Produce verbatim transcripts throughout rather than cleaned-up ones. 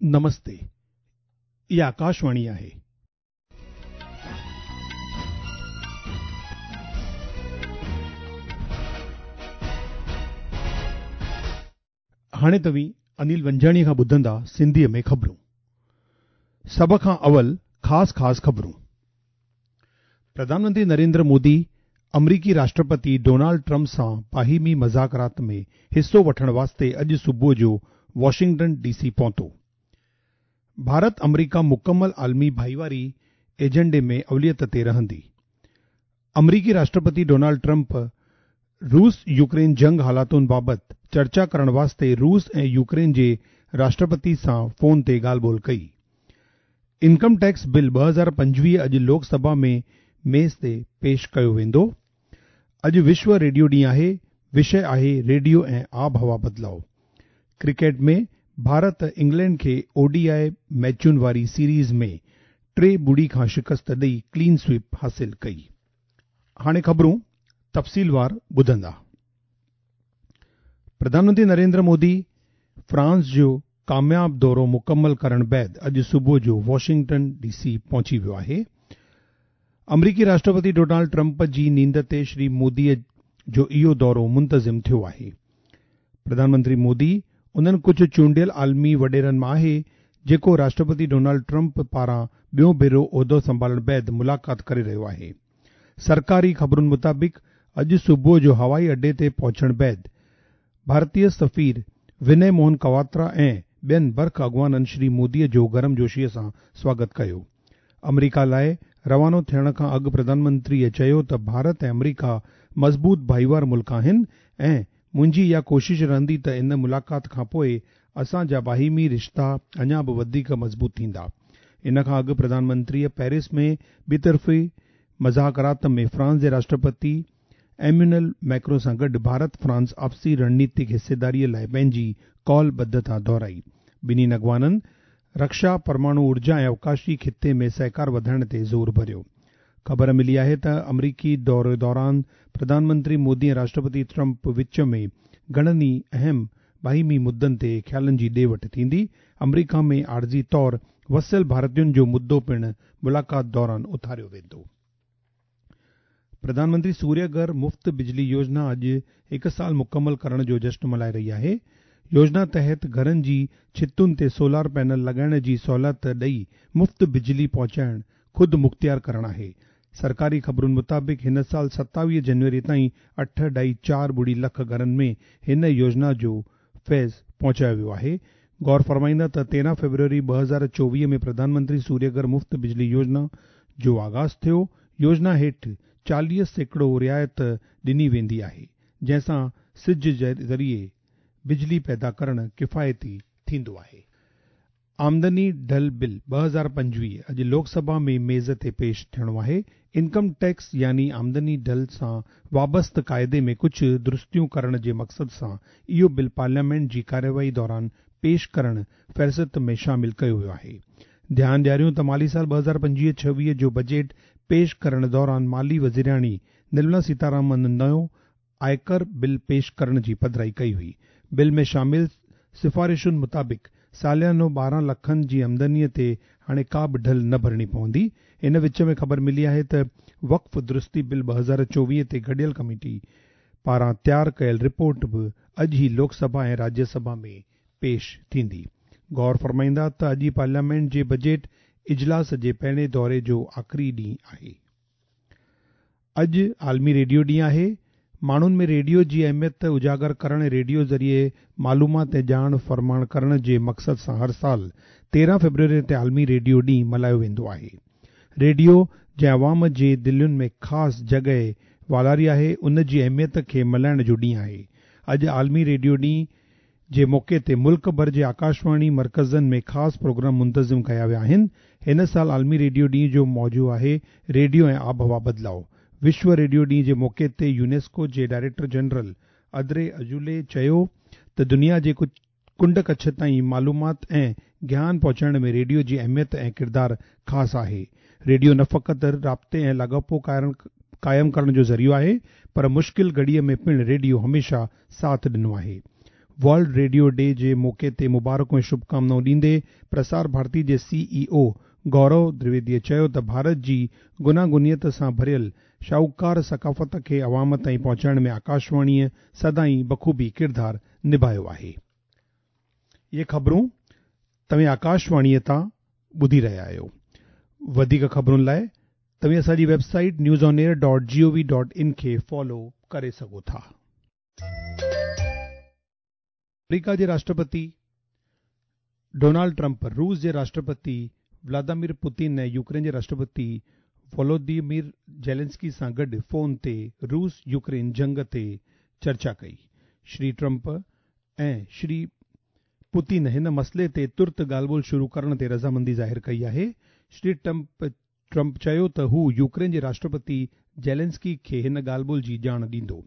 नमस्ते, इहा आकाशवाणी आहे। हाणे तव्हीं अनिल वंजाणी खां ॿुधंदा सिंधीअ में ख़बरूं। सभ खां अवल ख़ासि ख़ासि ख़बरूं। प्रधानमंत्री नरेंद्र मोदी अमरीकी राष्ट्रपति डोनाल्ड ट्रंप सां बाहिमी मज़ाकरात में हिसो वठण वास्ते अॼु सुबुह जो वॉशिंगटन डीसी पहुतो। भारत अमरीका मुकमल आलमी भाईवारी एजेंडे में अवलियत ते रहंदी। अमरीकी राष्ट्रपति डोनाल्ड ट्रंप रूस यूक्रेन जंग हालातुनि बाबति चर्चा करण वास्ते रूस ऐं यूक्रेन जे राष्ट्रपति सां फ़ोन ते ॻाल्हि ॿोल कई। इनकम टैक्स बिल ॿ हज़ार पंजवीह अॼु लोकसभा में मेज़ ते पेश कयो वेंदो। अॼु विश्व रेडियो ॾींहुं आहे, विषय आहे रेडियो ऐं आबहवा बदिलाव। क्रिकेट में भारत इंग्लैंड खे ओडीआई मैचुनि वारी सीरीज़ में टे ॿुड़ी खां शिकस्त ॾेई क्लीन स्वीप हासिल कई। हाणे ख़बरूं तफ़सीलवार ॿुधंदा। प्रधानमंत्री नरेंद्र मोदी फ्रांस जो कामयाब दौरो मुकमल करण बाद अॼु सुबुह जो वॉशिंगटन डीसी पहुची वियो आहे। अमरीकी राष्ट्रपति डोनाल्ड ट्रंप जी नींद ते श्री मोदीअ जो इहो दौरो मुंतज़िम थियो आहे। प्रधानमंत्री मोदी उन्हनि कुझु चूंडियल आलमी वॾेरनि मां आहे जेको राष्ट्रपति डोनाल्ड ट्रंप पारां ॿियो भेरो उहिदो संभालण बाद मुलाक़ात करे रहियो आहे। सरकारी ख़बरुनि मुताबिक़ अॼु सुबुह जो हवाई अॾे ते पहुचण बाद भारतीय सफ़ीर विनय मोहन कवात्रा ऐं ॿियनि बर्ख अॻुवाननि श्री मोदीअ जो गर्मजोशीअ सां स्वागत कयो। अमरीका लाइ रवानो थियण खां अॻु प्रधानमंत्रीअ चयो त भारत ऐं अमरीका मज़बूत भाईवार मुल्क आहिनि ऐं मुंहिंजी इहा कोशिश रहंदी त इन मुलाक़ात खां पोइ असांजा बाहिमी रिश्ता अञा बि वधीक मज़बूत थींदा। इन खां अॻु प्रधानमंत्रीअ पेरिस में ॿितरफ़ी मज़ाकरात में फ्रांस जे राष्ट्रपति एम्यूनल मैक्रो सां गॾु भारत फ्रांस आपसी रणनीतिक हिस्सेदारीअ लाइ पंहिंजी कौलबद्धता दोहराई। ॿिन्ही अॻुवाननि रक्षा, परमाणु ऊर्जा ऐं अवकाशी ख़िते में सहकार वधाइण ते ज़ोर भरियो। ख़बर मिली आहे त अमरीकी दौरे दौरान प्रधानमंत्री मोदी ऐं राष्ट्रपति ट्रंप विच में घणनि ई अहम बाहिमी मुद्दनि ते ख़्यालनि जी ॾे वठि थींदी। अमरीका में आर्ज़ी तौर वसियल भारतीयुनि जो मुद्दो पिणु मुलाक़ात दौरान उथारियो वेंदो। प्रधानमंत्री सूर्यघर मुफ़्त बिजली योजना अॼु हिकु साल मुकमल करण जो जश्न मल्हाए रही आहे। योजना तहत घरनि जी छितुनि ते सोलार पैनल लॻाइण जी सहूलियत ॾेई मुफ़्त बिजली पहुचाइण ख़ुदि मुख़्तियार करण आहे। सरकारी ख़बरुनि मुताबिक़ हिन साल सतावीह जनवरी ताईं अठ ढाई चारि ॿुड़ी लख घरनि में हिन योजना जो फैज़ पहुचायो वियो आहे। गौर फरमाईंदा त तेरहं फ़रवरी ॿ हज़ार चोवीह में प्रधानमंत्री सूर्यघर मुफ़्त बिजली योजना जो आग़ाज़ थियो। योजना हेठि चालीह सैकड़ो रिआयत ॾिनी वेंदी आहे, जंहिंसां सिज ज़रिए बिजली पैदा करण किफ़ायती थींदो आहे। आमदनी ढल बिल ॿ हज़ार पंजवीह अॼु लोकसभा में मेज़ ते पेश थियणो आहे। इनकम टैक्स यानी आमदनी ढल सां वाबस्त क़ाइदे में कुझु दुरुस्तियूं करण जे मक़सद सां इहो बिल पार्लियामेंट जी कार्यवाही दौरान पेश करण फ़हरिस्त में शामिल कयो वियो आहे। ध्यानु ॾियारियूं त माली साल ॿ हज़ार पंजवीह छवीह जो बजट पेश करण दौरान माली वज़ीराणी निर्मला सीतारामन नयो आयकर बिल पेश करण जी पधराई कई हुई। बिल में शामिल सिफारिशुनि मुताबिक़ सालियानो ॿारहं लखनि जी आमदनीअ ते हाणे का बि ढल न भरिणी पवंदी। इन विच में ख़बर मिली आहे त वक़्फ़ दुरुस्ती बिल ॿ हज़ार चोवीह ते गॾियल कमेटी पारां तयारु कयल रिपोर्ट बि अॼु ई लोकसभा ऐं राज्यसभा में पेश थींदी। गौर फरमाईंदा त अॼु पार्लियामेंट जे बजट इजलास जे पहिरें दौरे जो आख़िरी ॾींहुं आहे। अॼु आलमी रेडियो ॾींहुं आहे। माण्हुनि में रेडियो जी अहमियत उजागर करण ऐं रेडियो ज़रिए मालूमात ऐं ॼाण फरमाण करण जे मक़सद सां हर साल तेरहं फ़रवरी ते आलमी रेडियो ॾींहुं मल्हायो वेंदो आहे। रेडियो जंहिं अवाम जे दिलियुनि में ख़ासि जॻह वालारी आहे, उन जी अहमियत खे मल्हाइण जो ॾींहुं आहे। अॼु आलमी रेडियो ॾींहुं जे मौक़े ते मुल्क भर जे आकाशवाणी मरकज़नि में ख़ासि प्रोग्राम मुंतज़िम कया विया आहिनि। हिन साल आलमी रेडियो ॾींहुं जो मौज़ू आहे रेडियो ऐं आबहवा बदिलाव। विश्व रेडियो ॾींहुं जे मौक़े ते यूनेस्को जे डायरेक्टर जनरल अदरे अजुले चयो त दुनिया जे कुंड कच्छ ताईं मालूमात ऐं ज्ञान पहुचाइण में रेडियो जी अहमियत ऐं किरदारु ख़ासि आहे। रेडियो न फ़क़ति राब्ते ऐं लाॻापो क़ाइमु करण जो ज़रियो आहे, पर मुश्किल घड़ीअ में पिणु रेडियो हमेशह साथ ॾिनो आहे। ورلڊ ريڊيو ڊي جي موقعي تي مبارڪون ۽ شڀڪامنائون ڏيندي پرسار ڀارتي جي سي اي او گورو دويدي چيو ته ڀارت جي گوناگونيت سان ڀريل شاهوڪار ثقافت کي عوام تائين پهچائڻ ۾ آڪاشواڻيءَ سدائين بخوبي ڪردار نڀايو آهي. اهي خبرون توهين آڪاشواڻيءَ تان ٻڌي رهيا آهيو. وڌيڪ خبرن لاءِ توهين اسان جي website news on air dot G O V dot in کي فالو ڪري سگهو ٿا. آمريڪا جي راشٽرپتي ڊونالڊ ٽرمپ روس جي راشٽرپتي ولاديمير پوتين ۽ يوڪرين جي راشٽرپتي وولوديمير زيلنسڪي سان گڏ فون تي روس يوڪرين جنگ تي چرچا ڪئي. شري ٽرمپ ۽ شري پوتين هن مسئلي تي ترت ڳالهه ٻولهه شروع ڪرڻ تي رضامندي ظاهر ڪئي آهي. شري ٽرمپ ٽرمپ چيو ته هو يوڪرين جي راشٽرپتي زيلنسڪي کي هن ڳالهه ٻولهه جي ڄاڻ ڏيندو.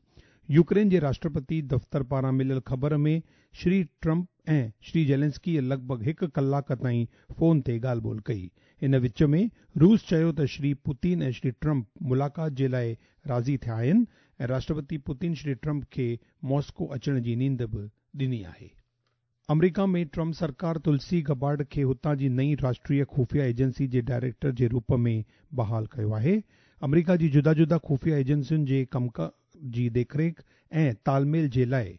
يوڪرين جي راشٽرپتي دفتر پاران مليل خبر ۾ شري ٽرمپ ۽ شري زيلنسڪي لڳ ڀڳ هڪ ڪلاڪ تائين فون تي ڳالهه ٻولهه ڪئي. ان وچ ۾ روس چيو ته شري پوتين ۽ شري ٽرمپ ملاقات جي لاءِ راضي ٿيا آهن ۽ راشٽرپتي پوتين شري ٽرمپ کي ماسڪو اچڻ جي نينڍ به ڏني آهي. آمريڪا ۾ ٽرمپ سرڪار تلسي گبارڊ کي هتان جي نئين راشٽريه خفيه ايجنسي جي ڊائريڪٽر جي روپ ۾ بحال ڪيو آهي. آمريڪا جي جدا جدا خفيه ايجنسين جي ڪم جي ديک ريک ۽ تالميل جي لاءِ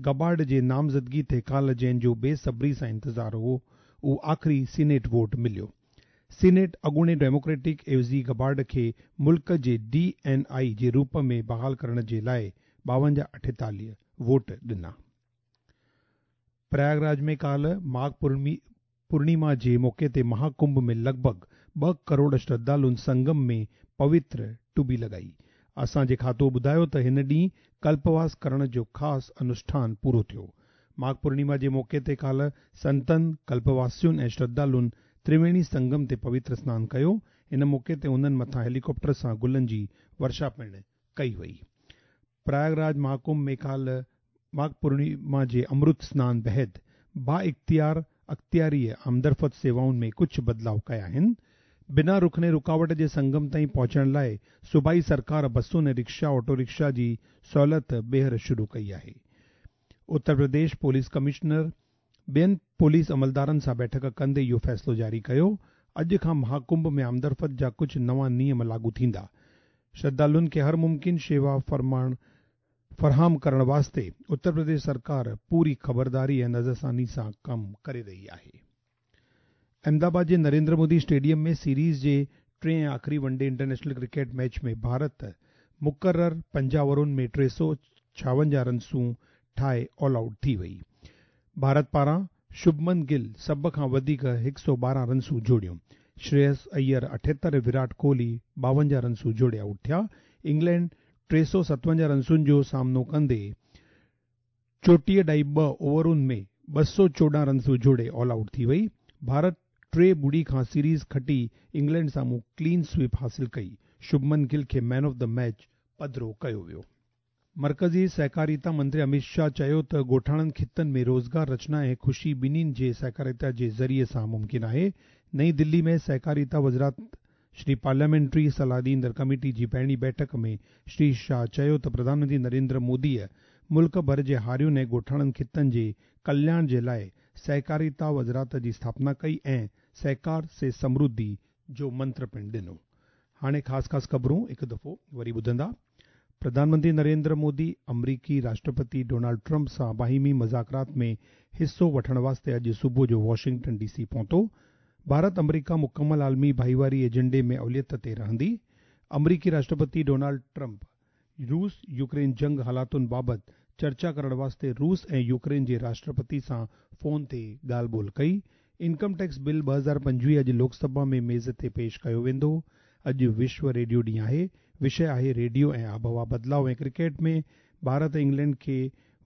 گبارڊ جي نامزدگي تي ڪالهه جنهن جو بيصبري سان انتظار هو اهو آخري سينيٽ ووٽ مليو. سينيٽ اڳوڻي ڊيموڪريٽڪ عيوضي گبارڊ کي ملڪ جي ڊي اين آئي جي روپ ۾ بحال ڪرڻ جي لاءِ ٻاونجاهه اٺيتاليهه ووٽ ڏنا. پرياگراج ۾ ڪالهه ماگهه پورڻما جي موقعي تي مهاڪنڀ ۾ لڳ ڀڳ ٻه ڪروڙ شرڌالن سنگم ۾ پوتر ٽٻي لڳائي. اسان جي کاتو ٻڌايو ته هن ڏينهن ڪلپواس ڪرڻ جو خاص انوشٺان پورو ٿيو. ماگهه پورڻما جي موقعي تي ڪالهه سنتن، ڪلپواسين ۽ شرڌالن ترويڻي سنگم تي پوتر سنان ڪيو. ان موقعي تي انهن مٿان هيليڪاپٽر سان گلن جي ورشا پڻ ڪئي وئي. پرياگراج مهاڪنڀ ۾ ڪالهه ماگهه پورڻما جي امرت سنان بعد با اختيار اختياريءَ آمدرفت سيوائن ۾ ڪجهه بدلاءُ ڪيا آهن. بنا رڪڻي رڪاوٽ جي سنگم تائين پهچڻ لاءِ صوبائي سرڪار بسن ۽ رڪشا آٽو رڪشا جي سهوليت ٻيهر شروع ڪئي آهي. اتر پرديش پوليس ڪمشنر ٻين پوليس عملدارن سان بيٺڪ ڪندي اهو فيصلو جاري ڪيو. اڄ کان مهاڪنڀ ۾ آمدرفت جا ڪجهه نوان نيم لاڳو ٿيندا. شرڌالن کي هر ممڪن شيوا فرمائڻ فراهم ڪرڻ واسطي اتر پرديش سرڪار پوري خبرداري ۽ نظرثاني سان ڪم ڪري رهي آهي. احمدآباد جي نريندر مودي اسٽيڊيم ۾ سيريز جي ٽئين ۽ آخري one day international cricket match ۾ Bharat مقرر پنجاهه اوورن ۾ ٽي سؤ ڇاونجاهه رنسون ٺاهي آل آئوٽ ٿي وئي. ڀارت پاران شڀمن گل سڀ کان وڌيڪ هڪ سؤ ٻارهن رنسون جوڙيون. شريس ايئر اٺهتر ۽ ويرات ڪوهلي ٻاونجاهه رنسون جوڙي آئوٽ ٿيا. انگلينڊ ٽي سؤ ستونجاهه رنسن جو سامنو ڪندي چوٽيهه ڏهائي ٻه اوورن ۾ ٻه سؤ چوڏهن رنسون جوڙي آل آئوٽ ٿي وئي. ڀارت ٽي ٻڙي کان سيريز کٽي انگلينڊ سامهون ڪلين سوئپ حاصل ڪئي. شڀمن گل کي مين آف the match پڌرو ڪيو ويو. مرڪزي سهڪاريتا منتري امت شاهه چيو ته ڳوٺاڻن خطن ۾ روزگار رچنا ۽ خوشي ٻنهين جي سهڪاريتا جي ذريعي سان ممڪن آهي. نئين دلي ۾ سهڪاريتا وزارت شري پارليامينٽري صلاح ڏيندڙ ڪميٽي جي پهرين بيٺڪ ۾ شري شاهه چيو ته پرڌان منتري نريندر موديءَ ملڪ ڀر جي هارين ۽ ڳوٺاڻن خطن جي ڪلياڻ جي لاءِ سهڪاريتا وزارت جي اسٿاپنا ڪئي ۽ سهڪار سي سمرڌي جو منتر پڻ ڏنو. هاڻي خاص خاص خبرون هڪ دفعو وري ٻڌندا. پرڌان منتري نريندر مودي آمريڪي راشٽرپتي ڊونالڊ ٽرمپ سان باهمي مذاڪرات ۾ حصو وٺڻ واسطي اڄ صبح جو واشنگٽن ڊي سي پهتو. ڀارت آمريڪا مڪمل عالمي ڀائيواري ايجنڊي ۾ اوليت تي رهندي. آمريڪي راشٽرپتي ڊونالڊ ٽرمپ روس يوڪرين جنگ حالاتن بابت چرچا ڪرڻ واسطي روس ۽ يوڪرين جي راشٽرپتي سان فون تي ڳالهه ٻولهه ڪئي. انڪم ٽيڪس بل ٻه هزار پنجويهه اڄ لوڪ سڀا ۾ ميز تي پيش ڪيو ويندو. اڄ وشو ريڊيو ڏينهن آهي. وشي آهي ريڊيو ۽ آبهوا بدلاءُ ۽ ڪرڪيٽ ۾ ڀارت انگلينڊ کي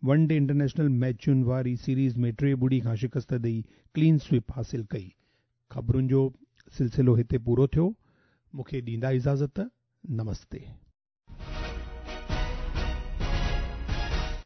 ون ڊي انٽرنيشنل ميچن واري سيريز ۾ ٽي ٻڙي کان شڪست ڏئي ڪلين سوئپ حاصل ڪئي. خبرن جو سلسلو هتي پورو ٿيو. مون کي ڏيندا اجازت. نمستي.